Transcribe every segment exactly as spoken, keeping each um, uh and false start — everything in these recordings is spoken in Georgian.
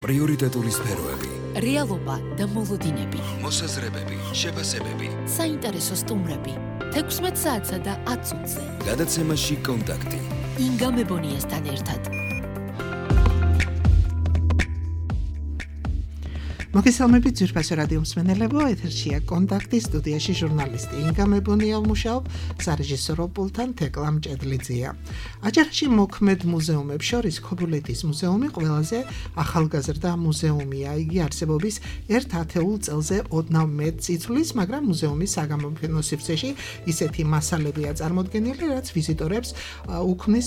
პრიორიტეტული სფეროები, რეალობა და მოლოდინები, მოსაზრებები, შეფასებები, საინტერესო სტუმრები, თექვსმეტ საათსა და ათ წუთზე. გადაცემაში კონტაქტი. ინგა მებონიასთან ერთად. მოგესალმებით ძვირფასო რადიო მსმენელებო, ეთერშია კონტაქტი, სტუდიაში ჟურნალისტი ინგა მებონია ვმუშაობ, სარეჟისორო პულტთან თეკლა მჭედლიძეა. აჭარაში მოქმედ მუზეუმებს შორის ქობულეთის მუზეუმი ყველაზე ახალგაზრდა მუზეუმია. იგი არსებობის ერთ ათეულ წელზე ოდნავ მეტს იცვლის, მაგრამ მუზეუმის საგამოფენო სივრცეში ისეთი მასალებია წარმოდგენილი, რაც ვიზიტორებს უქმნის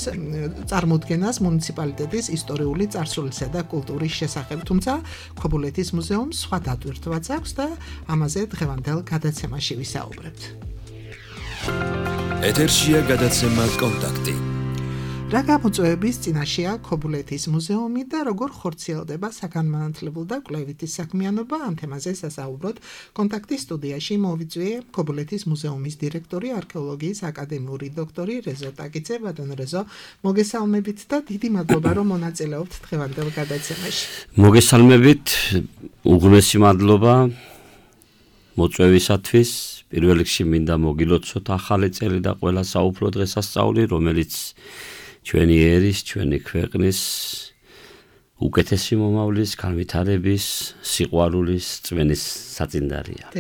წარმოდგენას მუნიციპალიტეტის ისტორიული წარსულისა და კულტურის შესახებ, თუმცა ქობულეთის მუზეუმი სხვა დატვირთვაც აქვს და ამაზე დღევანდელ გადაცემაში ვისაუბრებთ. ეთერშია გადაცემა კონტაქტი. რა გამოწვევების წინაშეა ქობულეთის მუზეუმი და როგორ ხორციელდება საგანმანათლებლო და კვლევითი საქმიანობა, ამ თემაზე სასაუბროთ კონტაქტის სტუდიაში მოვიწვიე ქობულეთის მუზეუმის დირექტორი, არქეოლოგიის აკადემიური დოქტორი რეზო ტაკიძე. ბატონო რეზო, მოგესალმებით და დიდი მადლობა რომ მონაწილეობთ დღევანდელ გადაცემაში. მოგესალმებით, უღრმესი მადლობა მოწვევისათვის. პირველ რიგში მინდა მოგილოცოთ ახალი წელი და ყველა საუფლო დღესასწაული, რომელიც ჩვენი ერის, ჩვენი ქვეყნის უკეთესი მომავლის, განვითარების, სიყვარულის, წვენის საწინდარია.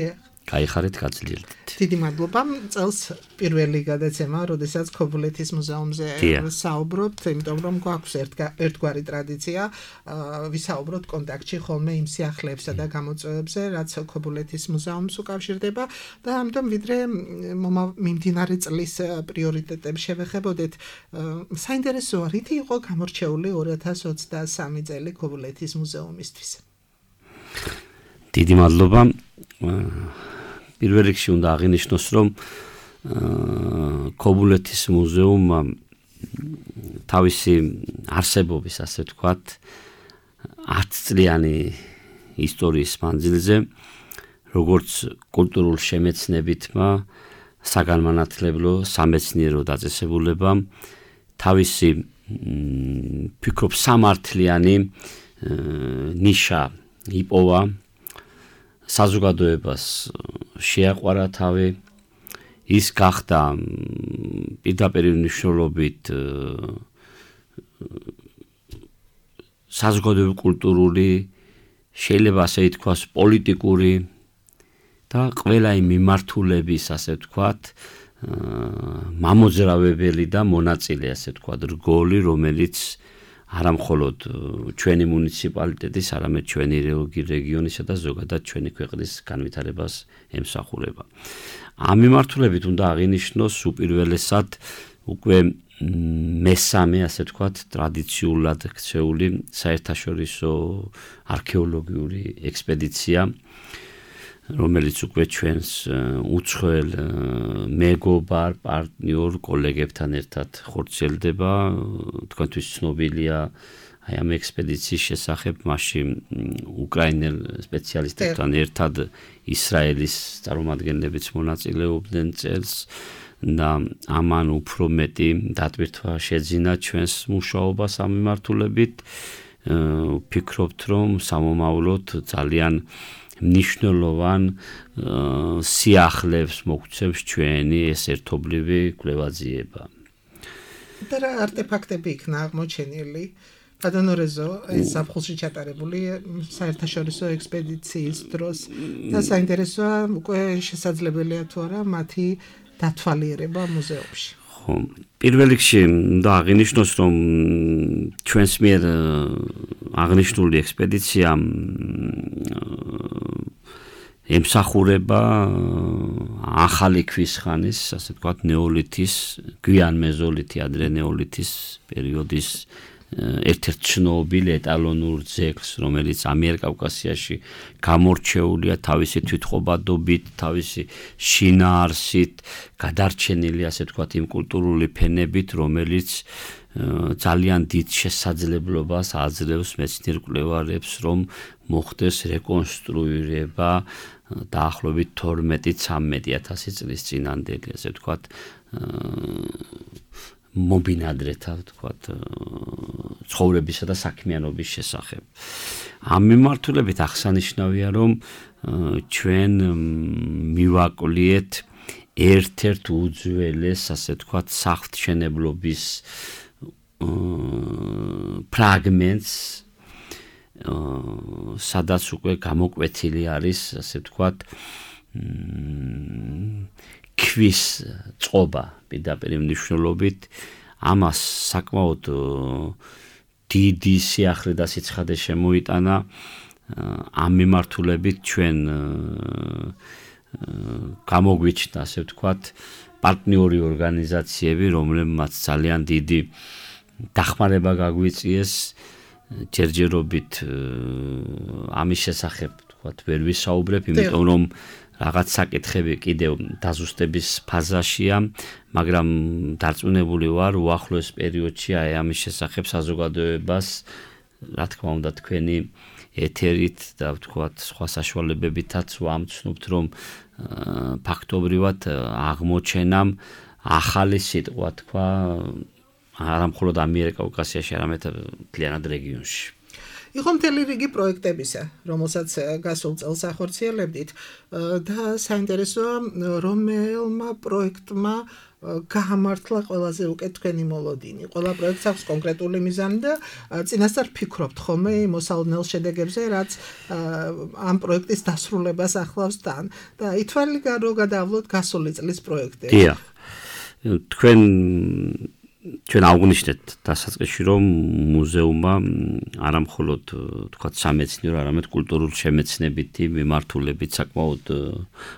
გაიხარეთ, გაძლიერდეთ. დიდი მადლობა. წელს პირველი გადაცემა, როდესაც ქობულეთის მუზეუმზე საუბრობთ, იმიტომ რომ გვაქვს ერთგვარი ტრადიცია, ვისაუბროთ კონტაქტში ხოლმე იმ სიახლეებსა და გამოწვევებზე, რაც ქობულეთის მუზეუმს უკავშირდება და ამიტომ ვიდრე მიმდინარე წლის პრიორიტეტებს შევეხებოდეთ, საინტერესოა, რითი იყო გამორჩეული ორი ათას ოცდასამი წელი ქობულეთის მუზეუმისთვის. დიდი მადლობა. პირველ რიგში უნდა აღინიშნოს, რომ ქობულეთის მუზეუმმა თავისი არსებობის, ასე ვთქვათ, ათწლიანი ისტორიის მანძილზე, როგორც კულტურულ შემეცნებითმა, საგანმანათლებლო, სამეცნიერო დაწესებულებამ თავისი ფიქრობ სამართლიანი ნიშა იპოვა, საზოგადოებას შეაყვარა თავი, ის გახდა პირდაპირ მნიშვნელობით საზოგადოებრივი კულტურული, შეიძლება ასე ითქვას, პოლიტიკური და ყველა იმ მიმართულების, ასე ვთქვათ, მამოძრავებელი და მონაწილე, ასე ვთქვათ, რგოლი, რომელიც არა მხოლოდ ჩვენი მუნიციპალიტეტის, არამედ ჩვენი რეგიონისა და ზოგადად ჩვენი ქვეყნის განვითარებას ემსახურება. ამ მიმართულებით უნდა აღინიშნოს უპირველესად უკვე მესამე, ასე ვთქვათ, ტრადიციულად ქცეული საერთაშორისო არქეოლოგიური ექსპედიცია, რომელიც უკვე ჩვენს უცხოელ მეგობარ, პარტნიორ კოლეგებთან ერთად ხორციელდება. თქვენთვის ცნობილია აი ამ ექსპედიციის შესახებ, მასში უკრაინელ სპეციალისტებთან ერთად ისრაელის წარმომადგენლებიც მონაწილეობდნენ წელს და ამან უფრო მეტი დატვირთვა შეძინა ჩვენს მუშაობას ამ მიმართულებით. ვფიქრობთ, რომ სამომავლოდ ძალიან მნიშვნელოვან სიახლეებს მოგცემს ჩვენი ეს ერთობლივი კვლევაძიება. და რა არტეფაქტები იქნა აღმოჩენილი? ბატონო რეზო, ეს ზაფხულში ჩატარებული საერთაშორისო ექსპედიციის დროს და საინტერესოა, უკვე შესაძლებელია თუ არა მათი დათვალიერება მუზეუმში. პირველ რიგში უნდა აღინიშნოს, რომ ჩვენს მიერ აღნიშნული ექსპედიცია ემსახურება ახალი ქვის ხანის, ასე ვთქვათ, ნეოლითის, გვიან მეზოლითი, ადრე ნეოლითის პერიოდის ერთ-ერთ ცნობილ ეტალონურ ძეგლს, რომელიც ამიერკავკასიაში გამორჩეულია თავისი თვითყოფადობით, თავისი შინაარსით, გადარჩენილი, ასე ვთქვათ, იმ კულტურული ფენებით, რომელიც ძალიან დიდ შესაძლებლობას აძლევს მეცნიერ კვლევარებს, რომ მოხდეს რეკონსტრუირება დაახლოებით თორმეტი ცამეტი ათასი წლის წინანდელი, ასე ვთქვათ, მომბინადრეთა, ვთქვათ, ცხოვრებისა და საქმიანობის შესახებ. ამ მიმართულებით აღსანიშნავია, რომ ჩვენ მივაკვლიეთ ერთ-ერთ უძველეს, ასე ვთქვათ, საღვთშენებლობის ფრაგმენტს, სადაც უკვე გამოკვეთილი არის, ასე ვთქვათ, ქვის წყობა პირდაპირ მნიშვნელობით. ამას საკმაოდ დიდი სიახლე და სიცხადე შემოიტანა. ამ მიმართულებით ჩვენ გამოგვიჩნდა, ასე ვთქვათ, პარტნიორი ორგანიზაციები, რომლებმაც ძალიან დიდი დახმარება გაგვიწიეს. ჯერჯერობით ამის შესახებ, ვთქვათ, ვერ ვისაუბრებ, იმიტომ რომ რაღაც საკითხები კიდევ დაზუსტების ფაზაშია, მაგრამ დარწმუნებული ვარ, უახლოეს პერიოდში აი ამის შესახებ საზოგადოებას, რა თქმა უნდა, თქვენი ეთერით და ვთქვათ, სხვა საშუალებებითაც ვამცნობთ, რომ ფაქტობრივად აღმოჩენამ ახალი სიტყვა თქვა არა მხოლოდ ამიერკავკასიაში, არამედ მთლიანად რეგიონში. იყო მთელი რიგი პროექტებისა, რომელსაც გასულ წელს ახორციელებდით და საინტერესოა, რომელმა პროექტმა გაამართლა ყველაზე უკეთ თქვენი მოლოდინი. ყველა პროექტს აქვს კონკრეტული მიზანი და წინასწარ ფიქრობთ ხოლმე მოსალოდნელ შედეგებზე, რაც ამ პროექტის დასრულებას ახლავს თან და ითვალე რო გადავლოთ გასული წლის პროექტები. დიახ. თქვენ ჩვენ აღვნიშნეთ დასაწყისში, რომ მუზეუმმა არა მხოლოდ თქვათ სამეცნიერო, არამედ კულტურულ შემეცნებითი მიმართულებით საკმაოდ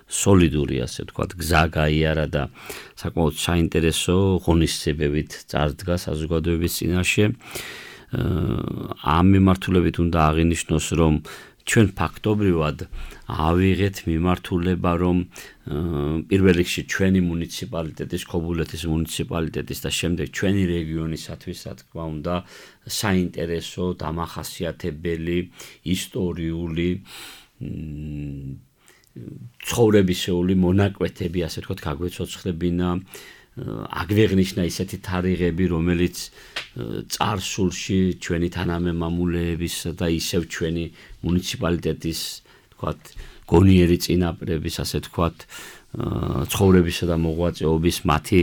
სოლიდური, ასე ვთქვათ, გზა გაიარა და საკმაოდ საინტერესო ღონისძიებებით წარდგა საზოგადოების წინაშე. ამ მიმართულებით უნდა აღინიშნოს, რომ ჩვენ ფაქტობრივად ავიღეთ მიმართულება, რომ პირველ რიგში ჩვენი მუნიციპალიტეტის, ქობულეთის მუნიციპალიტეტის და შემდეგ ჩვენი რეგიონისათვის, რა თქმა უნდა, საინტერესო, დამახასიათებელი, ისტორიული, ცხოვრებისეული მონაკვეთები, ასე ვთქვათ, გაგვეცოცხლებინა, აგვეღნიშნა ისეთი თარიღები, რომელიც წარსულში ჩვენი თანამემამულეების და ისევ ჩვენი მუნიციპალიტეტის, ვთქვათ, გონიერი წინაპრების, ასე ვთქვათ, ცხოვრებისა და მოღვაწეობის მათი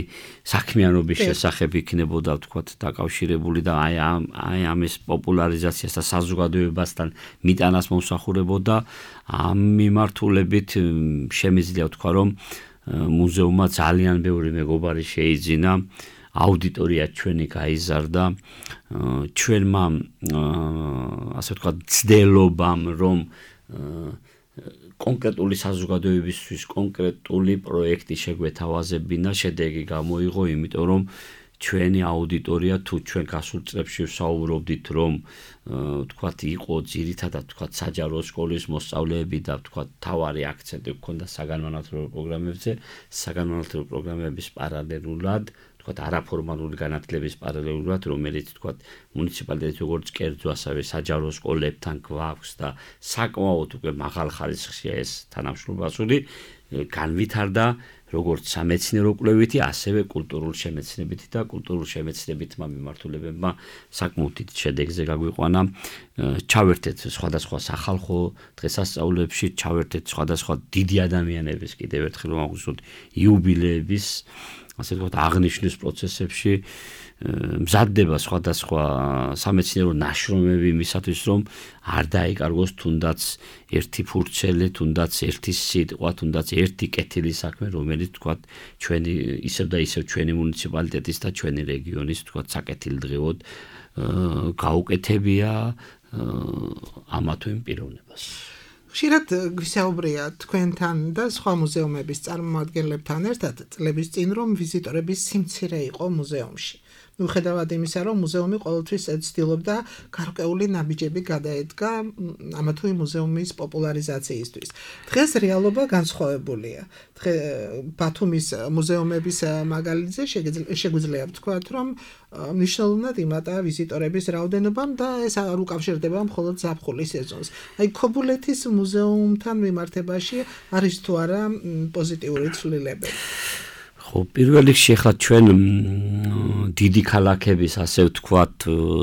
საქმიანობის შესახებ იქნებოდა, ვთქვათ, დაკავშირებული და აი ამ აი ამის პოპულარიზაციას და საზოგადოებასთან მიტანას მომსახურებოდა. ამ მიმართულებით შემიძლია ვთქვა, რომ მუზეუმმა ძალიან ბევრი მეგობარი შეიძინა, აუდიტორია ჩვენი გაიზარდა, ჩვენმა ასე ვთქვათ, ცდილობამ, რომ კონკრეტული საზოგადოებისთვის კონკრეტული პროექტი შეგვეთავაზებინა, შედეგი გამოიღო, იმიტომ რომ ჩვენი აუდიტორია, თუ ჩვენ გასულ წლებში ვსაუბრობდით, რომ ვთქვათ, იყო ძირითადად, ვთქვათ, საჯარო სკოლის მოსწავლეები და ვთქვათ, თავარი აქცენტი ჰქონდა საგანმანათლებლო პროგრამებზე, საგანმანათლებლო პროგრამების პარალელურად, ვთქვათ, არაფორმალური განათლების პარალელურად, რომელიც, ვთქვათ, მუნიციპალიტეტის როგორც კერძო, ასევე საჯარო სკოლებთან გვაქვს და საკმაოდ უკვე მაღალ ხარისხშია ეს თანამშრომლობასული, განვითარდა როგორც სამეცნიერო კვლევითი, ასევე კულტურულ შემეცნებითი და კულტურულ შემეცნებითმა მიმართულებებმა საკმაოდ დიდ შედეგზე გაგვიყვანა. ჩავერთეთ სხვადასხვა სახალხო დღესასწაულებში, ჩავერთეთ სხვადასხვა დიდი ადამიანების, კიდევ ერთხელ ვამოგვისურვოთ, იუბილეების, ასე ვთქვათ, აღნიშვნის პროცესებში მზადდება სხვადასხვა სამეცნიერო ნაშრომები იმისათვის, რომ არ დაიკარგოს თუნდაც ერთი ფურცელი, თუნდაც ერთი სიტყვა, თუნდაც ერთი კეთილი საქმე, რომელიც, ვთქვათ, ჩვენი ისევ და ისევ ჩვენი მუნიციპალიტეტის და ჩვენი რეგიონის, ვთქვათ, საკეთილდღეოდ გაუკეთებია ამა თუ იმ პიროვნებას. ხშირად გვისაუბრია თქვენთან და სხვა მუზეუმების წარმომადგენლებთან ერთად წლების წინ, რომ ვიზიტორების სიმცირე იყო მუზეუმში. მიუხედავად იმისა, რომ მუზეუმი ყოველთვის ცდილობდა გარკვეული ნაბიჯები გადაედგა ამა თუ იმ მუზეუმის პოპულარიზაციისთვის. დღეს რეალობა განსხვავებულია. ბათუმის მუზეუმების მაგალითზე შეგვიძლია ვთქვათ, რომ მნიშვნელოვნად იმატა ვიზიტორების რაოდენობამ და ეს არ უკავშირდება მხოლოდ ზაფხულის სეზონს. აი ქობულეთის მუზეუმთან მიმართებაში არის თუ არა პოზიტიური ცვლილებები? ხო, პირველ რიგში ახლა ჩვენ დიდი ქალაქების, ასე ვთქვათ,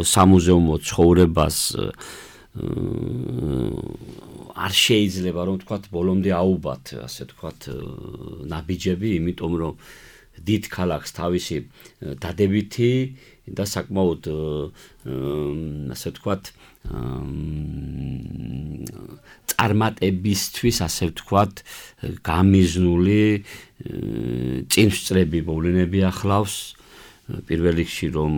სამუზეუმო ცხოვრებას არ შეიძლება რომ ვთქვათ ბოლომდე აუბათ, ასე ვთქვათ, ნაბიჯები, იმიტომ რომ დიდ ქალაქს თავისი დადებითი და საკმაოდ ასე ვთქვათ წარმატებისთვის, ასე ვთქვათ, გამიზნული წინსწრები მოვლენები ახლავს. პირველ რიგში რომ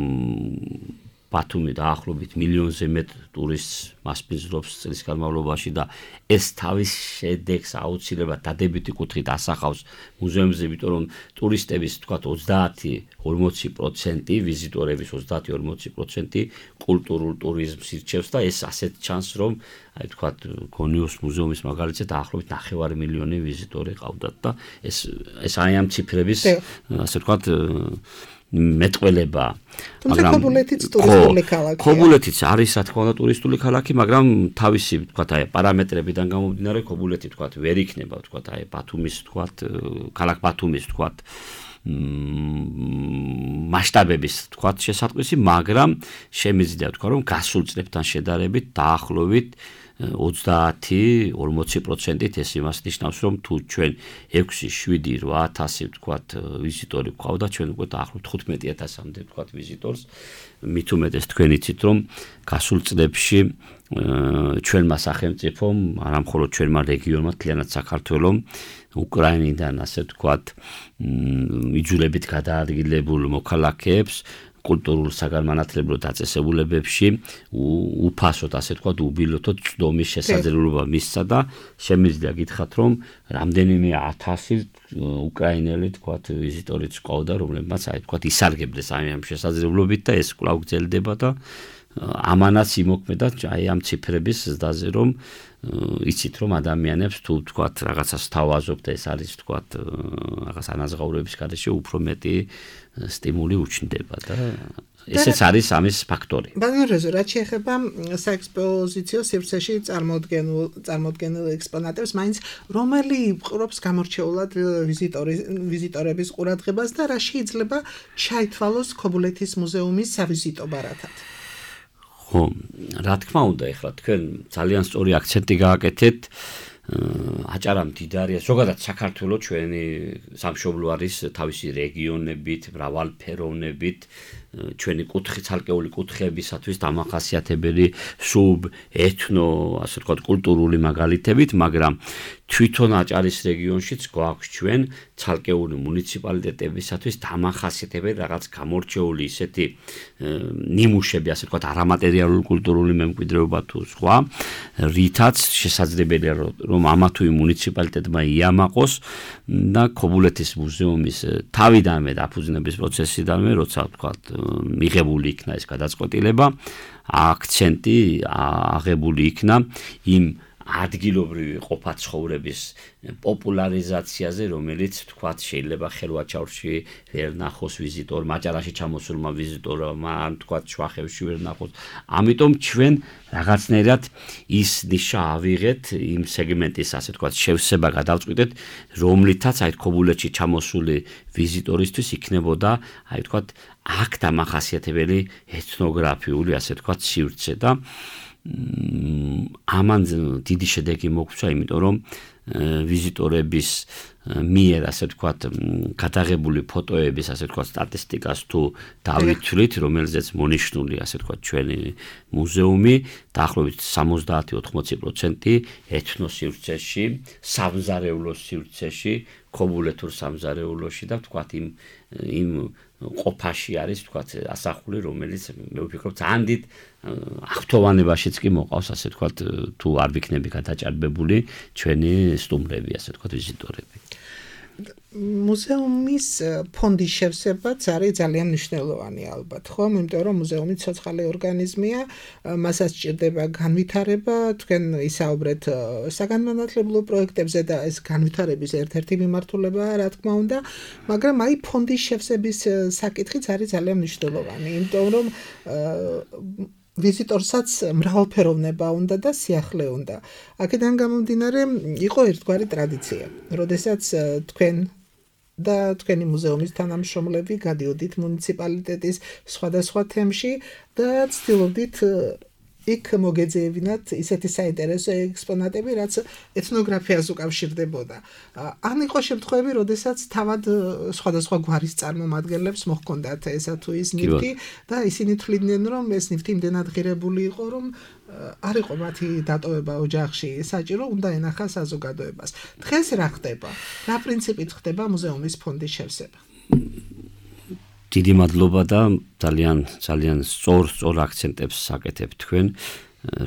ბათუმი დაახლოებით მილიონზე მეტ ტურისტს მასპინძლობს წლის განმავლობაში და ეს თავის შედეგს აუცილებლად დადებითი კუთხით ასახავს მუზეუმზე, იმიტომ რომ ტურისტების თქვათ ოცდაათი ორმოცი პროცენტი ვიზიტორების ოცდაათი ორმოცი პროცენტი კულტურულ ტურიზმს ირჩევს და ეს ასეთ ჩანს რომ აი თქვათ გონიოს მუზეუმის მაგალითად დაახლოებით ნახევარი მილიონი ვიზიტორი ყავდათ და ეს ეს აი ამ ციფრების ასე ვთქვათ მეტყველება. თუმცა ქობულეთიც ტურისტული ქალაქია. ქობულეთიც არის რა თქმა უნდა ტურისტული ქალაქი, მაგრამ თავისი ვთქვათ აი პარამეტრებიდან გამომდინარე ქობულეთი ვთქვათ ვერ იქნება ვთქვათ აი ბათუმის ვთქვათ ქალაქ ბათუმის ვთქვათ მასშტაბების ვთქვათ შესატყვისი, მაგრამ შემიძლია ვთქვა რომ გასულ წლებთან შედარებით დაახლოებით ოცდაათი ორმოცი პროცენტით ეს იმას ნიშნავს რომ თუ ჩვენ ექვსი შვიდი რვა ათასი ვთქვათ ვიზიტორი გვყავდა ჩვენ უკვე დაახლოებით თხუთმეტი ათასამდე ვთქვათ ვიზიტორს მით უმეტეს თქვენ იცით რომ გასულ წლებში ჩვენმა სახელმწიფომ არა მხოლოდ ჩვენმა რეგიონმა მთლიანად საქართველომ უკრაინიდან ასე ვთქვათ იძულებით გადაადგილებულ მოქალაქეებს კულტურულ საგანმანათლებლო დაწესებულებებში უფასოდ ასე ვთქვათ უბილოთო წვდომის შესაძლებლობა მისცა და შემიძლია გითხრათ რომ რამდენიმე ათასი უკრაინელი ვთქვათ ვიზიტორიც ყავდა რომლებმაც აი ვთქვათ ისარგებლეს აი ამ შესაძლებლობით და ეს კვლავ გრძელდება და ამანაც იმოქმედა აი ამ ციფრების ზრდაზე რომ იცით რომ ადამიანებს თუ ვთქვათ რაღაცას თავაზობთ ეს არის ვთქვათ რაღაც ანაზღაურების გარეშე უფრო მეტი სტიმული უჩნდება და ესეც არის ამის ფაქტორი. ბატონო რეზო, რაც შეეხება საექსპოზიციო სივრცეში წარმოდგენილ წარმოდგენილ ექსპონატებს, მაინც რომელი იპყრობს გამორჩეულად ვიზიტორების ყურადღებას და რა შეიძლება ჩაითვალოს ქობულეთის მუზეუმის სავიზიტო ბარათად? ხო, რა თქმა უნდა, ეხლა თქვენ ძალიან სწორი აქცენტი გააკეთეთ. აჭარა მდიდარია, ზოგადად საქართველოს ჩვენი სამშობლო არის თავისი რეგიონებით, მრავალფეროვნებით, ჩვენი კუთხე ცალკეული კუთხეებისათვის დამახასიათებელი სუბ, ეთნო, ასე ვთქვათ, კულტურული მაგალითებით, მაგრამ თვითონ აჭარის რეგიონშიც გვაქვს ჩვენ ცალკეული მუნიციპალიტეტებისათვის დამახასიათებელი რაღაც გამორჩეული ისეთი ნიმუშები, ასე ვთქვათ, არამატერიალური კულტურული მემკვიდრეობა თუ სხვა, რითაც შესაძლებელია რომ ამა თუ იმ მუნიციპალიტეტმა იამაყოს და ქობულეთის მუზეუმის თავიდანვე დაფუძნების პროცესიდანვე, როცა ვთქვათ, მიღებული იქნა ეს გადაწყვეტილება, აქცენტი აღებული იქნა იმ ადგილობრივი ყოფაცხოვრების პოპულარიზაციაზე, რომელიც თქვათ შეიძლება ხელვაჩაურში ვერ ნახოს ვიზიტორ, მაჭარაში ჩამოსულმა ვიზიტორმა, ან თქვათ შვახევში ვერ ნახოს. ამიტომ ჩვენ რაღაცნაირად ის ნიშა ავიღეთ იმ სეგმენტის, ასე თქვათ, შევსება გადავწყვიტეთ, რომლითაც აი ქობულეთში ჩამოსული ვიზიტორისთვის იქნებოდა, აი თქვათ, აქ დამახასიათებელი ეთნოგრაფიული, ასე თქვათ, სივრცე და ამან დიდი შედეგი მოგვცა, იმიტომ რომ ვიზიტორების მიერ ასე ვთქვათ გადაღებული ფოტოების ასე ვთქვათ სტატისტიკას თუ დავითვლით, რომელზეც მონიშნული ასე ვთქვათ ჩვენი მუზეუმი, დაახლოებით სამოცდაათი ოცდაოთხი პროცენტი ეთნოსივრცეში, სამზარეულოს სივრცეში, ქობულეთურ სამზარეულოში და ვთქვათ იმ იმ ყოფაში არის ვთქვათ ასახული, რომელიც მე ვფიქრობ ძალიან დიდ აღფრთოვანებაშიც კი მოყავს, ასე ვთქვათ, თუ არ ვიქნები გადაჭარბებული ჩვენი სტუმრები, ასე ვთქვათ, ვიზიტორები. მუზეუმის ფონდის შევსებაც არის ძალიან მნიშვნელოვანი ალბათ, ხო? იმიტომ რომ მუზეუმი ცოცხალი ორგანიზმია, მასაც სჭირდება განვითარება, თქვენ ისაუბრეთ საგანმანათლებლო პროექტებზე და ეს განვითარების ერთ-ერთი მიმართულებაა, რა თქმა უნდა, მაგრამ აი ფონდის შევსების საკითხიც არის ძალიან მნიშვნელოვანი, იმიტომ რომ ვიზიტორსაც მრავალფეროვნება უნდა და სიახლე უნდა. აქედან გამომდინარე, იყო ერთგვარი ტრადიცია, როდესაც თქვენ და თქვენი მუზეუმის თანამშრომლები გადიოდით მუნიციპალიტეტის სხვადასხვა თემში და ცდილობდით იქ მოგეძებინათ ისეთი საინტერესო ექსპონატები, რაც ეთნოგრაფიას უკავშირდებოდა. ან იყო შემთხვევები, როდესაც თავად სხვადასხვა გვარის წარმომადგენლებს მოჰქონდათ ესა თუ ის ნივთი და ისინი თვლიდნენ, რომ ეს ნივთი იმდენად ღირებული იყო, რომ არ იყო მათი დატოვება ოჯახში საჭირო, უნდა ენახა საზოგადოებას. დღეს რა ხდება? რა პრინციპით ხდება მუზეუმის ფონდის შევსება? დიდი მადლობა და ძალიან ძალიან სწორ სწორ აქცენტებს საკეთებთ თქვენ.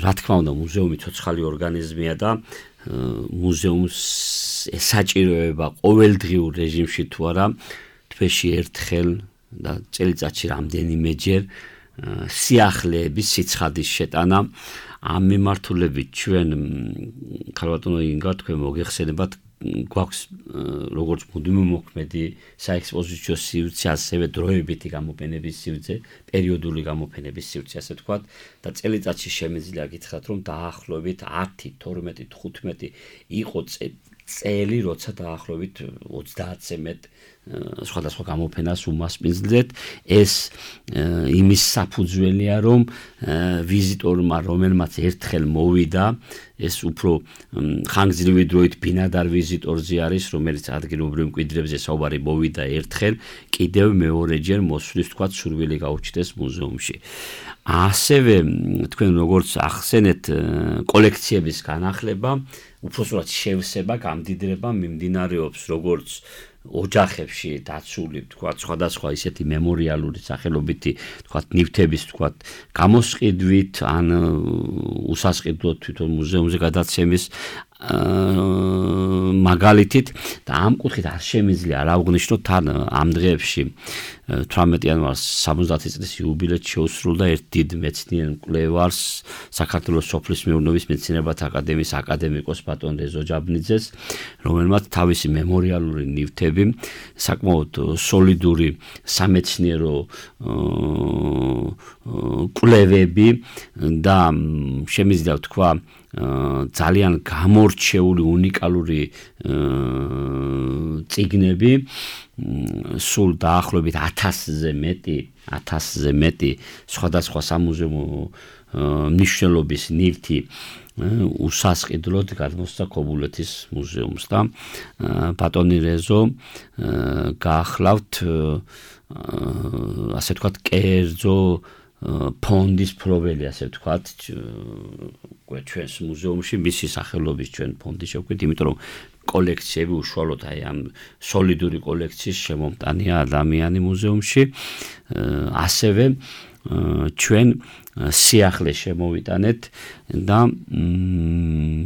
რა თქმა უნდა, მუზეუმი ცოცხალი ორგანიზმია და მუზეუმს ესაჭიროება ყოველდღიურ რეჟიმში თუ არა თვეში ერთხელ და წელიწადში რამდენიმეჯერ სიახლეების სიცხადის შეტანა. ამ მიმართულებით ჩვენ ქალბატონო ინგა თქვენ მოგეხსენებათ გვაქვს როგორც მუდმივი მოქმედი საექსპოზიციო სივრცე, ასევე დროებითი გამოფენების სივრცე, პერიოდული გამოფენების სივრცე, ასე ვთქვათ, და წელიწადში შემიძლია გითხრათ, რომ დაახლოებით ათი, თორმეტი, თხუთმეტი იყო წელი, როცა დაახლოებით ოცდაათზე მეტ სხვადასხვა გამოფენას უმასპინძლეთ. ეს იმის საფუძველია, რომ ვიზიტორმა, რომელმაც ერთხელ მოვიდა, ეს უფრო ხანგრძლივი დროით ბინადარ ვიზიტორზე არის, რომელიც ადგილობრივ მკვიდრებზე საუბარი მოვიდა ერთხელ, კიდევ მეორეჯერ მოსვლის თქვა სურვილი გაუჩნდეს მუზეუმში. ასევე თქვენ როგორც ახსენეთ, კოლექციების განახლება, უпроსტად შევსება, გამდიდრება მიმდინარეობს როგორც ოჯახებში დაცული, თქვათ, სხვადასხვა ისეთი მემორიალური სახელობითი, თქვათ, ნივთების, თქვათ, გამოსყიდვით ან უსასყიდლოდ თვითონ მუზეუმზე გადაცემის მაგალითით და ამ კუთხით არ შემიძლია არ აღვნიშნოთ, თან ამ დღეებში თვრამეტი იანვარს სამოცდაათი წლის იუბილეც შეუსრულდა ერთ დიდ მეცნიერ მკვლევარს, საქართველოს სოფლის მეურნეობის მეცნიერებათა აკადემიის აკადემიკოს ბატონ რეზო ჯაბნიძეს, რომელმაც თავისი მემორიალური ნივთები, საკმაოდ სოლიდური სამეცნიერო კვლევები და შემიძლია ვთქვა ძალიან გამორჩეული უნიკალური წიგნები, სულ დაახლოებით ათასზე მეტი, ათასზე მეტი სხვადასხვა სამუზეუმო მნიშვნელობის ნივთი უსასყიდლოდ გადმოსცა ქობულეთის მუზეუმს და ბატონი რეზო გაახლავთ ასე ვთქვათ კერძო ფონდის პროველი, ასე ვთქვათ, ჩვენს მუზეუმში მისი სახელობის ჩვენ ფონდი შევქმნით, იმიტომ რომ კოლექციები უშუალოდ აი ამ სოლიდური კოლექციის შემომტანია ადამიანი მუზეუმში, ასევე ჩვენ სიახლე შემოვიტანეთ და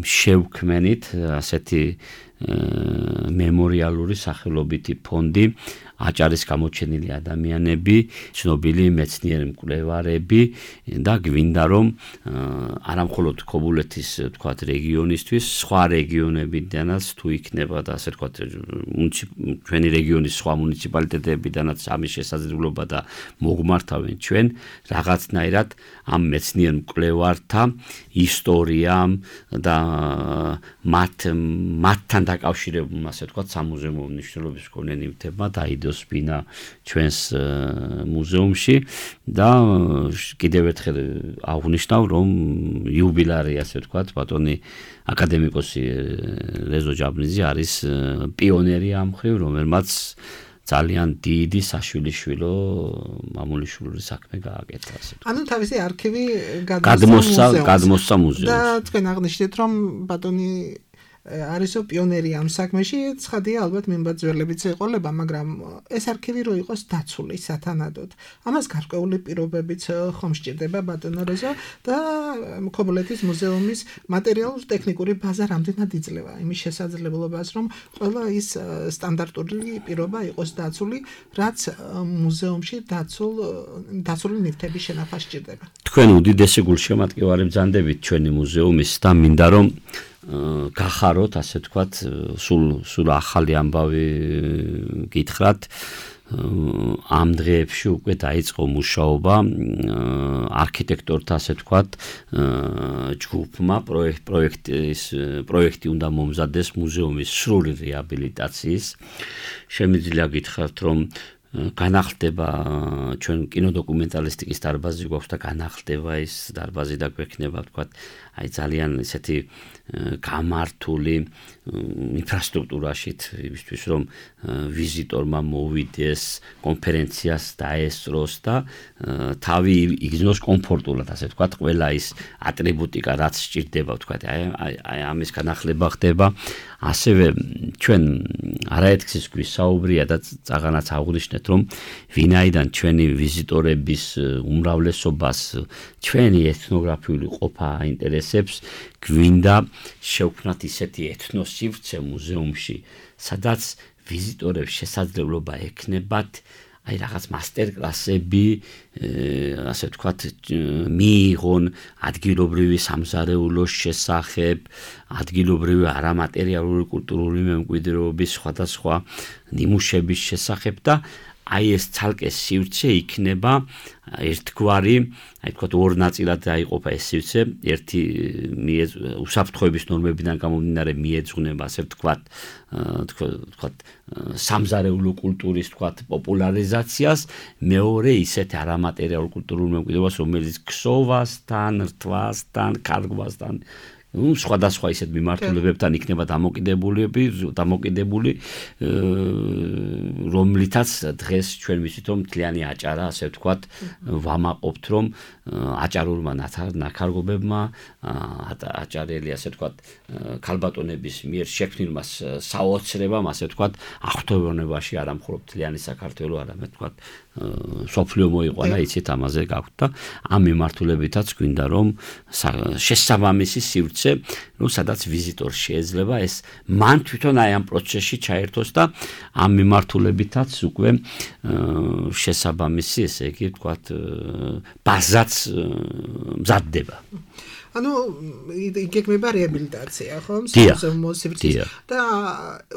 შევქმნით ასეთი მემორიალური სახელობითი ფონდი, აჭარის გამოჩენილი ადამიანები, ცნობილი მეცნიერი მკვლევარები და გვინდა რომ არა მხოლოდ ქობულეთის თქვათ რეგიონისთვის, სხვა რეგიონებიდანაც თუ იქნება და ასე თქვათ ჩვენი რეგიონის სხვა მუნიციპალიტეტებიდანაც ამის შესაძლებლობა და მოგმართავენ ჩვენ რაღაცნაირად ამ მეცნიერ მკვლევართა ისტორიამ და მათ მათთან დაკავშირებულ ასე თქვათ სამუზეუმო მნიშვნელობის მქონე ნივთებმა დაიდოს ბინა ჩვენს მუზეუმში და კიდევ ერთხელ აღვნიშნავ, რომ იუბილარი ასე ვთქვათ, ბატონი აკადემიკოსი რეზო ჯაბნიძე არის პიონერი ამ მხრივ, რომელმაც ძალიან დიდი საშვილიშვილო მამულიშვილური საქმე გააკეთა, ასე ვთქვათ. ანუ თავისი არქივი გადმოსცა გადმოსცა მუზეუმს. და თქვენ აღნიშნეთ, რომ ბატონი არისო პიონერი ამ საქმეში, ცხადია ალბათ მიმბაძველებიც ეყოლება, მაგრამ ეს არქივი რო იყოს დაცული სათანადოდ. ამას გარკვეული პირობებიც ხომ სჭირდება ბატონო რეზო და ქობულეთის მუზეუმის მატერიალურ-ტექნიკური ბაზა რამდენად იძლევა იმის შესაძლებლობას, რომ ყველა ის სტანდარტული პირობა იყოს დაცული, რაც მუზეუმში დაცულ დაცული ნივთების შენახვა სჭირდება. თქვენ უდიდესი გულშემატკივარი ბრძანდებით ჩვენი მუზეუმის და მინდა რომ გახაროთ, ასე ვთქვათ, სულ სულ ახალი ამბავი გითხრათ, ამ დღეებში უკვე დაიწყო მუშაობა არქიტექტორთა, ასე ვთქვათ, ჯგუფმა პროექტის პროექტი უნდა მომზადეს მუზეუმის სრული რეაბილიტაციის. შემიძლია გითხრათ, რომ განახლდება ჩვენ კინოდოკუმენტალისტიკის დარბაზი გვაქვს და განახლდება ის დარბაზი და გვექნება, ვთქვათ, აი ძალიან ისეთი გამართული ინფრასტრუქტურაშით, იმისთვის რომ ვიზიტორმა მოვიდეს, კონფერენციას დაესწროს და თავი იგრძნოს კომფორტულად, ასე ვთქვათ, ყველა ის ატრიბუტიკა, რაც სჭირდება, ვთქვათ, აი აი ამის განახლება ხდება. ასევე ჩვენ არაერთგზის გვისაუბრია და წაღანაც აღვნიშნეთ, რომ ვინაიდან ჩვენი ვიზიტორების უმრავლესობას ჩვენი ეთნოგრაფიული ყოფა აინტერესებს, გვინდა შევქმნათ ისეთი ეთნოსივრცე მუზეუმში, სადაც ვიზიტორებს შესაძლებლობა ექნებათ აი რაღაც მასტერკლასები, ასე ვთქვათ, მიიღონ ადგილობრივი სამზარეულოს შესახებ, ადგილობრივი არამატერიალური კულტურული მემკვიდრეობის სხვადასხვა ნიმუშების შესახებ და აი ეს ცალკე სივრცე იქნება ერთგვარი, აი თქვათ ორ ნაწილად დაიყოფა ეს სივრცე, ერთი უსაფრთხოების ნორმებიდან გამომდინარე მიეძღვნება, ასე ვთქვათ, თქვათ სამზარეულო კულტურის თქვათ პოპულარიზაციას, მეორე ისეთ არამატერიალურ კულტურულ მემკვიდრეობას, რომელიც ქსოვასთან, რთვასთან, კარგვასთან ну, სხვადასხვა ისეთ მიმართულებებთან იქნება დამოკიდებული, დამოკიდებული, რომლითაც დღეს ჩვენ ვიცით, რომ მთლიანი აჭარა, ასე ვთქვათ, ვამაყობთ, რომ აჭარულმა ნაქარგობებმა, აჭარელი, ასე ვთქვათ, ქალბატონების მიერ შექმნილმა საოცრებამ, ასე ვთქვათ, აღფრთოვანებაში არა მხოლოდ მთლიანი საქართველო, არამედ ვთქვათ, სოფლიო მოიყვანა, იცით, ამაზე გაქვთ და ამ მიმართულებითაც გვინდა რომ შესაბამისი სივრცე, ну, სადაც ვიზიტორს შეიძლება ეს მან თვითონ აი ამ პროცესში ჩაერთოს და ამ მიმართულებითაც უკვე შესაბამისი, ესე იგი, ვთქვათ, ბაზაც მზადდება. ანუ იგეგმება რეაბილიტაცია, ხო? მოსივრცეს და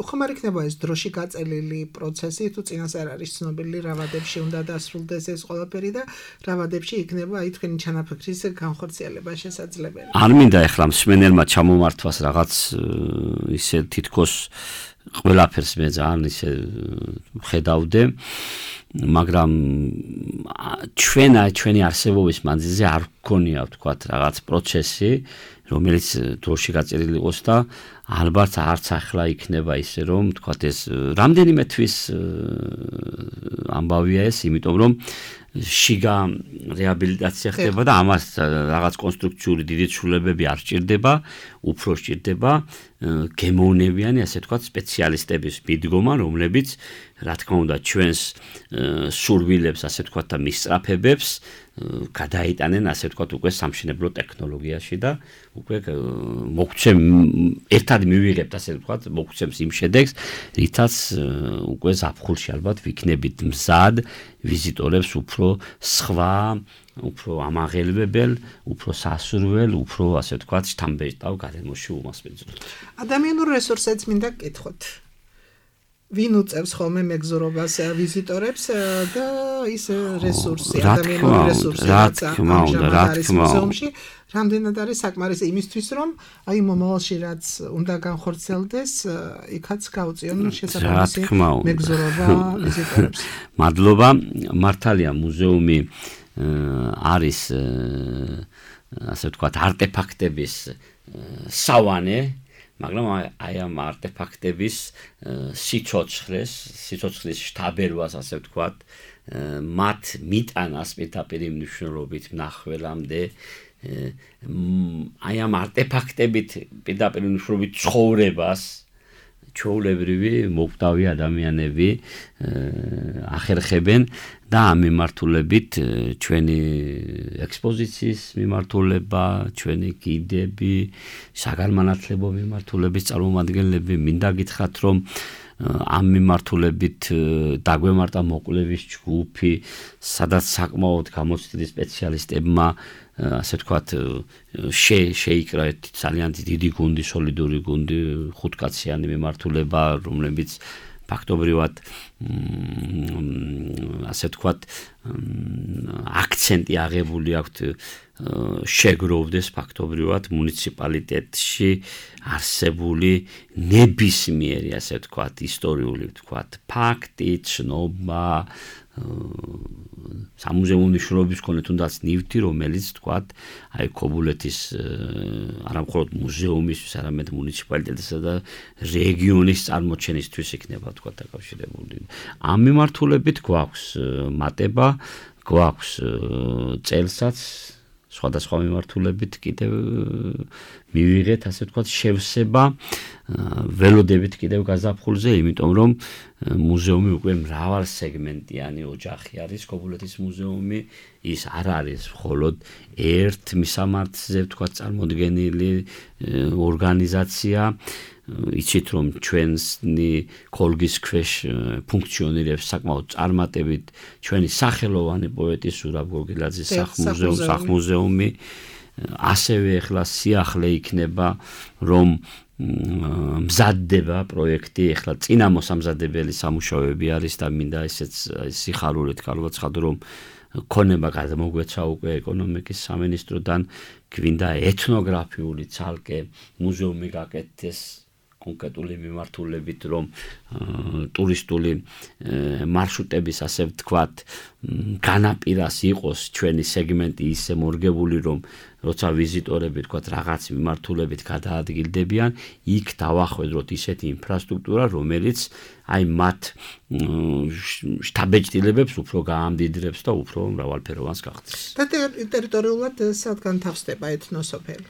ხომ არ იქნება ეს დროში გაწელილი პროცესი, თუ წინას არ არის ცნობილი რა ვადებში უნდა დასრულდეს ეს ყველაფერი და რა ვადებში იქნება აი თქვენი ჩანაფიქრის განხორციელება შესაძლებელი. არ მინდა ეხლა მსმენელმა ჩამომართვას რაღაც ისე თითქოს ყველაფერს მე ძალიან ისე ხედავდე, მაგრამ ჩვენ ჩვენი არსებობის მანძილზე არ გქონია, ვთქვათ, რაღაც პროცესი, რომელიც დროში გაწელილი იყოს და ალბათ არც ახლა იქნება ისე, რომ ვთქვათ, ეს რამდენიმე თვის ამბავია ეს, იმიტომ რომ შიგა რეაბილიტაცია ხდება და ამას რაღაც კონსტრუქციული დიდი ცვლილებები არ სჭირდება, უფრო სჭირდება გემოვნებიანი, ასე ვთქვათ, სპეციალისტების მიდგომა, რომლებიც, რა თქმა უნდა, ჩვენს სურვილებს, ასე ვთქვათ, და მისწრაფებებს გადაიტანენ, ასე ვთქვათ, უკვე სამშენებლო ტექნოლოგიაში და უკვე მოგცემ ერთად მივიღებთ, ასე ვთქვათ, მოგცემს იმ შედეგს, რითაც უკვე ზაფხულში ალბათ ვიქნებით მზად ვიზიტორებს უფრო სხვა, უფრო ამაღელვებელ, უფრო სასურველ, უფრო, ასე ვთქვათ, შთამბეჭდავ გარემოში უმასპინძლოთ. ადამიანურ რესურსებს მინდა გკითხოთ. ვინ უწევს ხოლმე მეგზურობას ვიზიტორებს და ის რესურსი, ადამიანური რესურსი, რაც არის მუზეუმში, რამდენად არის საკმარისი იმისთვის, რომ აი მომავალში რაც უნდა განხორციელდეს, იქაც გაუწიონ შესაბამისი მეგზურობა ვიზიტორებს. მადლობა, მართალია მუზეუმი არის, ასე ვთქვათ, არტეფაქტების სავანე, მაგრამ აი ამ არტეფაქტების სიცოცხლეს, სიცოცხლის შთაბერვას, ასე ვთქვათ, მათ მიტანას პირდაპირ მნიშვნელობით მნახველამდე, აი ამ არტეფაქტებით პირდაპირ მნიშვნელობით ცხოვრებას ჩვეულებრივი მოკვდავი ადამიანები ახერხებენ და ამ მიმართულებით ჩვენი ექსპოზიციის მიმართულება, ჩვენი გიდები, საგანმანათლებლო მიმართულების წარმომადგენლები მინდა გითხრათ, რომ ამ მიმართულებით დაგვემართა მოკვლევის ჯგუფი, სადაც საკმაოდ გამოცდილი სპეციალისტებმა, ასე ვთქვათ, შეიკრა ძალიან დიდი გუნდი, სოლიდური გუნდი, ხუთკაციანი მიმართულება, რომლებიც ფაქტობრივად ასე ვთქვათ აქცენტი აღებული აქვთ შეგროვდეს ფაქტობრივად მუნიციპალიტეტში არსებული ნებისმიერი ასე ვთქვათ ისტორიული ვთქვათ ფაქტი, ცნობა სამუზეუმო მნიშვნელობის მქონე თუნდაც ნივთი, რომელიც ვთქვათ, აი ქობულეთის არა მხოლოდ მუზეუმისთვის, არამედ მუნიციპალიტეტისა და რეგიონის წარმოჩენისთვის იქნება ვთქვათ დაკავშირებული. ამ მიმართულებით გვაქვს მატება, გვაქვს წელსაც სხვადასხვა მიმართულებით კიდევ მივიღეთ, ასე ვთქვათ, შევსება ველოდებით კიდევ გაზაფხულზე, იმიტომ რომ მუზეუმი უკვე მრავალ სეგმენტიანი ოჯახი არის, ქობულეთის მუზეუმი, ის არ არის მხოლოდ ერთ მისამართზე, ვთქვათ, წარმოდგენილი ორგანიზაცია, იცით რომ ჩვენი ქოლგის ქვეშ ფუნქციონირებს საკმაოდ წარმატებით ჩვენი სახელოვანი პოეტი სურაბ გოგილაძის სახლ-მუზეუმი, სახლ-მუზეუმი, ასევე ახლა სიახლე იქნება რომ მზადდება პროექტი, ახლა წინა მოსამზადებელი სამუშაოები არის და მინდა ესეც სიხარულით გავაცხადო რომ ქონება გადმოგვეცა უკვე ეკონომიკის სამინისტროდან გვინდა ეთნოგრაფიული ცალკე მუზეუმი გაკეთდეს კონკრეტული მიმართულებით რომ ტურისტული მარშრუტების ასე ვთქვათ განაპირას იყოს ჩვენი სეგმენტი ისე მორგებული რომ როცა ვიზიტორები ვთქვათ რაღაც მიმართულებით გადაადგილდებიან იქ დავახვედროთ ისეთი ინფრასტრუქტურა რომელიც აი მათ შტაბეჭდილებებს უფრო გაამდიდრებს და უფრო მრავალფეროვანს გახდეს. და ტერიტორიულად სადგან თავსდება ეთნოსოფელი.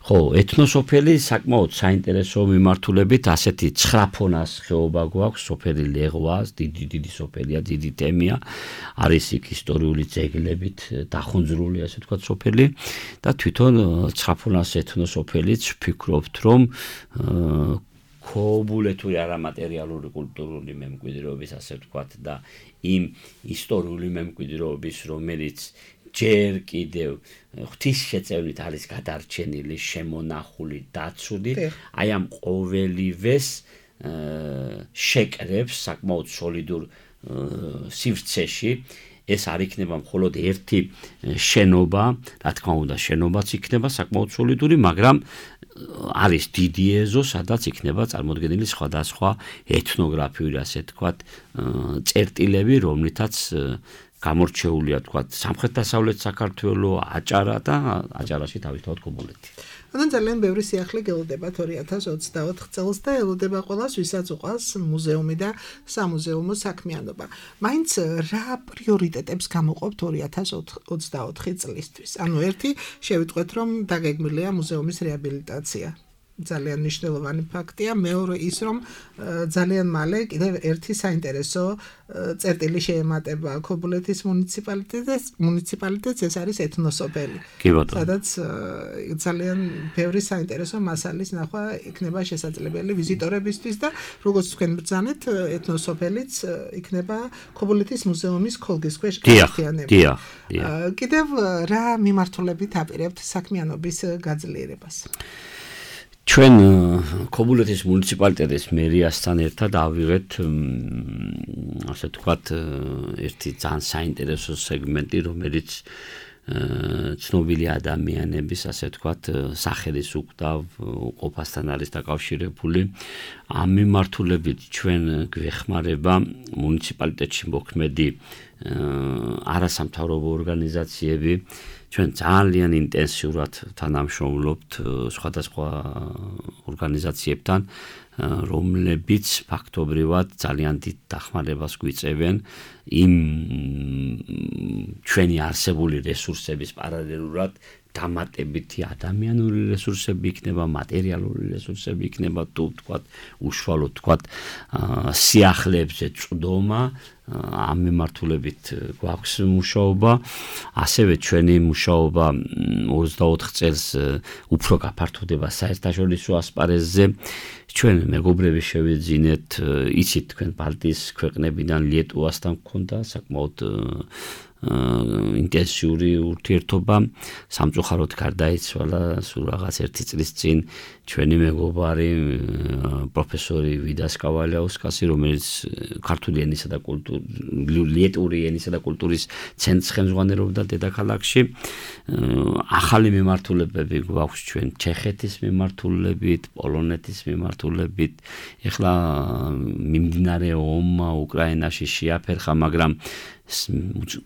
ხო, ეთნოსოფელი საკმაოდ საინტერესო მიმართულებით ასეთი ცხრა ფონას ხეობა გვაქვს, სოფელი ლეღვას, დიდი დიდი სოფელია, დიდი თემია, არის იქ ისტორიული ძეგლებით დახუნძრული, ასე ვთქვათ, სოფელი და თვითონ ცხრა ფონას ეთნოსოფელიც ვფიქრობთ, რომ ქობულეთური არამატერიალური კულტურული მემკვიდრეობის, ასე ვთქვათ, და იმ ისტორიული მემკვიდრეობის, რომელიც ჯერ კიდევ ღვთისშეწევნით არის გადარჩენილი, შემონახული, დაცული, აი ამ ყოველივეს შეკრებს საკმაოდ სოლიდურ სივრცეში. ეს არ იქნება მხოლოდ ერთი შენობა, რა თქმა უნდა, შენობაც იქნება საკმაოდ სოლიდური, მაგრამ არის დიდი ეზო, სადაც იქნება წარმოდგენილი სხვადასხვა ეთნოგრაფიული, ასე ვთქვათ, წერტილები, რომლითაც გამორჩეულია, ვთქვათ, სამხრეთ-დასავლეთ საქართველო, აჭარა და აჭარაში თავისთავად ქობულეთი. ანუ ძალიან ბევრი სიახლე გელოდებათ ორი ათას ოცდაოთხ წელს და ელოდება ყველას, ვისაც უყვარს მუზეუმი და სამუზეუმო საქმიანობა. მაინც რა პრიორიტეტებს გამოყოფთ ორი ათას ოცდაოთხი წლისთვის? ანუ ერთი შევიტყვეთ, რომ დაგეგმილია მუზეუმის რეაბილიტაცია. ძალიან მნიშვნელოვანი ფაქტია, მეორე ის რომ ძალიან მალე კიდევ ერთი საინტერესო წერტილი შეემატება ქობულეთის მუნიციპალიტეტს, მუნიციპალიტეტს ეს არის ეთნოსოფელი. სადაც ძალიან ბევრი საინტერესო მასალის ნახვა იქნება შესაძლებელი ვიზიტორებისთვის და როგორც თქვენ ბრძანეთ, ეთნოსოფელიც იქნება ქობულეთის მუზეუმის ქოლგის ქვეშ გაერთიანებული. დიახ, დიახ. კიდევ რა მიმართულებით აპირებთ საქმიანობის გაძლიერებას? ჩვენ ქობულეთის მუნიციპალიტეტის მერიასთან ერთად ავიღეთ ასე ვთქვათ ერთი ძალიან საინტერესო სეგმენტი, რომელიც ცნობილი ადამიანების, ასე ვთქვათ, სახელის უკვდავ ყოფასთან არის დაკავშირებული. ამ მიმართულებით ჩვენ გვეხმარება მუნიციპალიტეტში მოქმედი არასამთავრობო ორგანიზაციები. ჩვენ ძალიან ინტენსიურად თანამშრომლობთ სხვადასხვა ორგანიზაციებთან, რომლებიც ფაქტობრივად ძალიან დიდ დახმარებას გვიწევენ იმ ჩვენი არსებული რესურსების პარალელურად დამატებითი ადამიანური რესურსები იქნება, მატერიალური რესურსები იქნება, თუ ვთქვათ, უშუალოდ ვთქვათ, სიახლეებზე წვდომა, ამ მიმართულებით გვაქვს მუშაობა, ასევე ჩვენი მუშაობა ოცდაოთხ წელს უფრო გაფართოვდება საერთაშორისო ასპარეზზე. ჩვენ მეგობრები შევიძინეთ, იცით თქვენ ბალტიის ქვეყნებიდან ლიეტუვასთან გქონდა საკმაოდ ინტენსიური ურთიერთობა სამწუხაროდ გარდაიცვალა სულ რაღაც ერთი წლის წინ ჩვენი მეგობარი პროფესორი ვიდას კავალიაუსკასი, რომელიც ქართული ენისა და კულტურის ლიეტური ენისა და კულტურის ცენტრს ხელმძღვანელობდა დედაქალაქში. ახალი მიმართულებები გვაქვს ჩვენ ჩეხეთის მიმართულებით, პოლონეთის მიმართულებით. ეხლა მიმდინარე ომმა უკრაინაში შეაფერხა, მაგრამ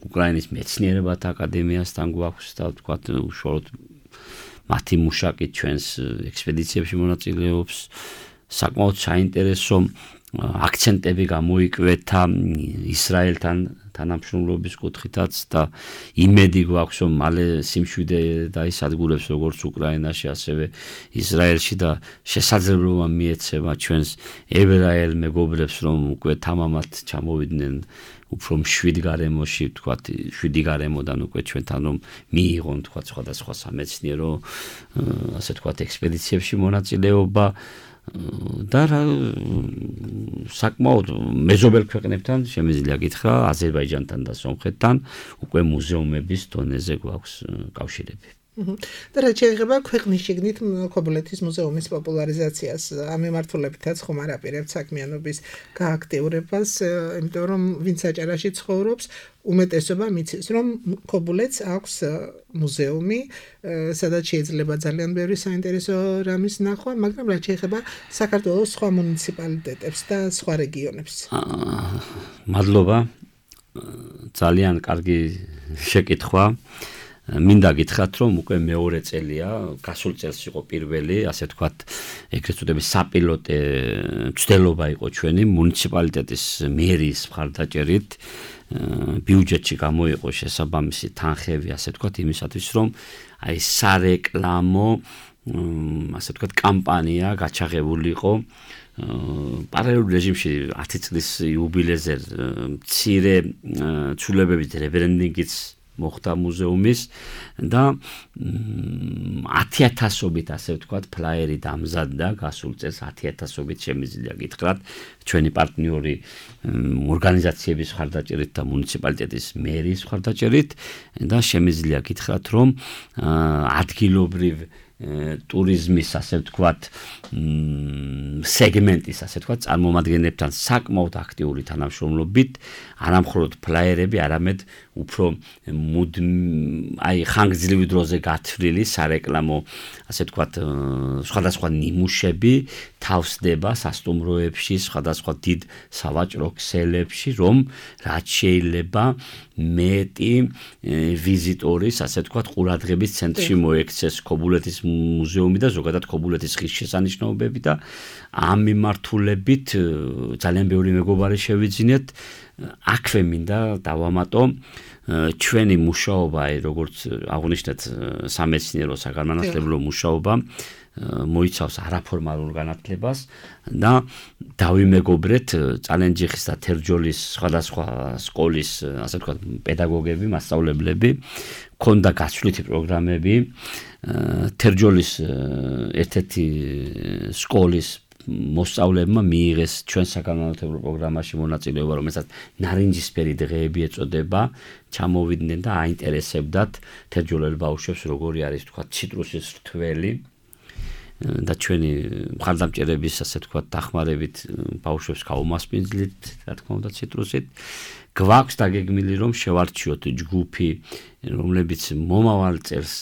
უკრაინის მეცნიერებათა აკადემიასთან გვაქვს და ვთქვათ უშუალოდ მათი მუშაკით ჩვენს ექსპედიციებში მონაწილეობს. საკმაოდ საინტერესო აქცენტები გამოიკვეთა ისრაელთან თანამშრომლობის კუთხითაც და იმედი გვაქვს, რომ მალე სიმშვიდე დაისადგურებს როგორც უკრაინაში, ასევე ისრაელში და შესაძლებლობა მიეცემა ჩვენს ებრაელ მეგობრებს, რომ უკვე თამამად ჩამოვიდნენ უფრო მშვიდ გარემოში, ვთქვათ, შვიდი გარემოდან უკვე ჩვენთან რომ მიიღონ, ვთქვათ, სხვადასხვა სამეცნიერო, ასე ვთქვათ, ექსპედიციებში მონაწილეობა და საკმაოდ მეზობელ ქვეყნებთან შემიძლია გითხრა, აზერბაიჯანთან და სომხეთთან უკვე მუზეუმების დონეზე გვაქვს კავშირები. და რაც შეეხება ქვეყნის შიგნით ქობულეთის მუზეუმის პოპულარიზაციას, ამ მიმართულებითაც ხომ არ აპირებთ საქმიანობის გააქტიურებას, იმიტომ რომ ვინც აჭარაში ცხოვრობს, უმეტესობა მიცის, რომ ქობულეთს აქვს მუზეუმი, სადაც შეიძლება ძალიან ბევრი საინტერესო რამის ნახვა, მაგრამ რაც შეეხება საქართველოს სხვა მუნიციპალიტეტებს და სხვა რეგიონებს. მადლობა. ძალიან კარგი შეკითხვა. მინდა გითხრათ, რომ უკვე მეორე წელია, გასულ წელს იყო პირველი, ასე ვთქვათ, ეგრეთ წოდების საპილოტე მცდელობა იყო ჩვენი მუნიციპალიტეტის მერიის მხარდაჭერით. ბიუჯეტში გამოიყო შესაბამისი თანხები, ასე ვთქვათ, იმისათვის, რომ აი სარეკლამო, ასე ვთქვათ, კამპანია გაჩაღებულიყო. პარალელურ რეჟიმში ათი წლის იუბილეზე მცირე ცვლილებებით რებრენდინგიც მოხდა მუზეუმის და ათი ათასობით, ასე ვთქვათ, ფლაიერი დამზადდა გასულ წელს ათი ათასობით შემიძლია გითხრათ ჩვენი პარტნიორი ორგანიზაციების მხარდაჭერით და მუნიციპალიტეტის მერიის მხარდაჭერით და შემიძლია გითხრათ, რომ ადგილობრივ ტურიზმის, ასე ვთქვათ, სეგმენტის, ასე ვთქვათ, წარმომადგენლებთან საკმაოდ აქტიური თანამშრომლობით, არა მხოლოდ ფლაიერები, არამედ უფრო აი ხანგრძლივი დროზე გათვლილი სარეკლამო, ასე ვთქვათ, სხვადასხვა ნიმუშები თავსდება სასტუმროებში, სხვადასხვა დიდ სავაჭრო ქსელებში, რომ რაც შეიძლება მეტი ვიზიტორის, ასე ვთქვათ, ყურადღების ცენტრში მოექცეს ქობულეთის მუზეუმი და ზოგადად ქობულეთის ღირსშესანიშნაობები და ამ მიმართულებით ძალიან ბევრი მეგობარი შევიძინეთ. აქვე მინდა დავამატო ჩვენი მუშაობა, როგორც აღნიშნეთ, სამეცნიერო საგანმანათლებლო მუშაობა მოიცავს არაფორმალურ განათლებას და დავიმეგობრეთ წალენჯიხის და თერჯოლის სხვადასხვა სკოლის, ასე ვთქვათ, პედაგოგები, მასწავლებლები, ქონდა გაცვლითი პროგრამები, თერჯოლის ერთ-ერთი სკოლის მოსწავლეებმა მიიღეს ჩვენ საგანმანათლებლო პროგრამაში მონაწილეობა, რომელსაც ნარინჯისფერი დღეები ეწოდება, ჩამოვიდნენ და აინტერესებდათ თერჯოლელ ბავშვებს, როგორი არის, თქვა, ციტრუსის რთველი და ჩვენი მხარდამჭერების, ასე ვთქვათ, დახმარებით ბავშვებს გავუმასპინძლით, რა თქმა უნდა, ციტრუსით. გვაქვს დაგეგმილი, რომ შევარჩიოთ ჯგუფი, რომლებიც მომავალ წელს,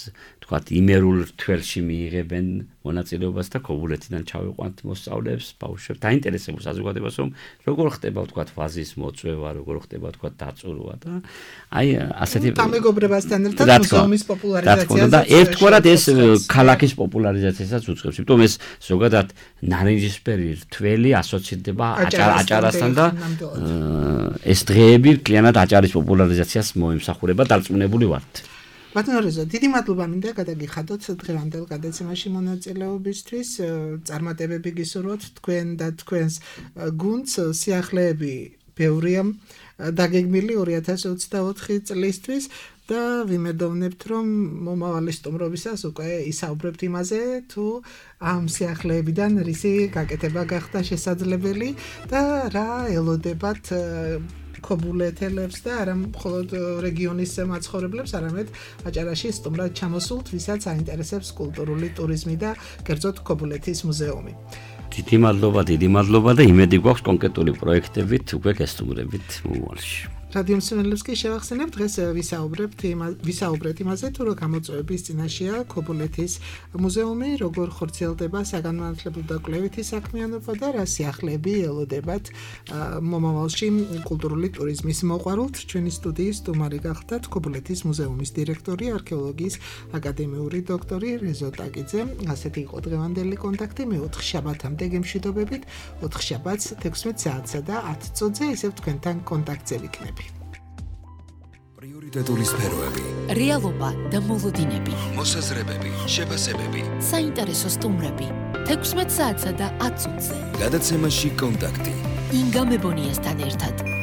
თქვათ, იმერულ რთველში მიიღებენ მონაწილეობას და ქობულეთიდან ჩავიყვანთ მოსწავლეებს, ბავშვებს, დაინტერესებულ საზოგადოებას, რომ როგორ ხდება, თქვათ, ვაზის მოწვევა, როგორ ხდება, თქვათ, დაწურვა და აი ასეთი დამეგობრებასთან ერთად მუზეუმის პოპულარიზაციას და ერთგვარად ეს ქალაქის პოპულარიზაციასაც უწყობს. იმიტომ ეს ზოგადად ნარინჯისფერი რთველი ასოცირდება აჭარასთან და ეს დღეები კლიანად აჭარის პოპულარიზაციას მოემსახურება, დარწმუნებული ვართ. ბატონო რეზო, დიდი მადლობა მინდა გადაგიხადოთ დღევანდელ გადაცემაში მონაწილეობისთვის. წარმატებები გისურვოთ თქვენ და თქვენს გუნდს. სიახლეები ბევრია დაგეგმილი ორი ათას ოცდაოთხი წლისთვის და ვიმედოვნებთ, რომ მომავალი სტუმრობისას უკვე ისაუბრებთ იმაზე, თუ ამ სიახლეებიდან რისი გაკეთება გახდა შესაძლებელი და რა ელოდებათ ქობულეთელებს და არა მხოლოდ რეგიონის მაცხოვრებლებს, არამედ აჭარაში სტუმრად ჩამოსულთ, ვისაც აინტერესებს კულტურული ტურიზმი და კერძოდ ქობულეთის მუზეუმი. დიდი მადლობა, დიდი მადლობა და იმედი გვაქვს კონკრეტული პროექტებით უკვე გესტუმრებით მომავალში. რადიო მსმენელებს კი შევახსენებ, დღეს ვისაუბრებთ ვისაუბრეთ იმაზე, თუ რა გამოწვევების წინაშეა ქობულეთის მუზეუმი, როგორ ხორციელდება საგანმანათლებლო და კვლევითი საქმიანობა და რა სიახლეები ელოდებათ მომავალში კულტურული ტურიზმის მოყვარულთ. ჩვენი სტუდიის სტუმარი გახდათ ქობულეთის მუზეუმის დირექტორი, არქეოლოგიის აკადემიური დოქტორი რეზო ტაკიძე. ასეთი იყო დღევანდელი კონტაქტი. მე ოთხ შაბათამდე გემშვიდობებით. ოთხ შაბათს თექვსმეტ საათსა და ათ წუთზე ისევ თქვენთან კონტაქტზე ვიქნები. პრიორიტეტული სფეროები, რეალობა და მოლოდინები, მოსაზრებები, შეფასებები, საინტერესო სტუმრები, თექვსმეტ საათსა და ათ წუთზე. გადაცემაში კონტაქტი. ინგა მებონიასთან ერთად.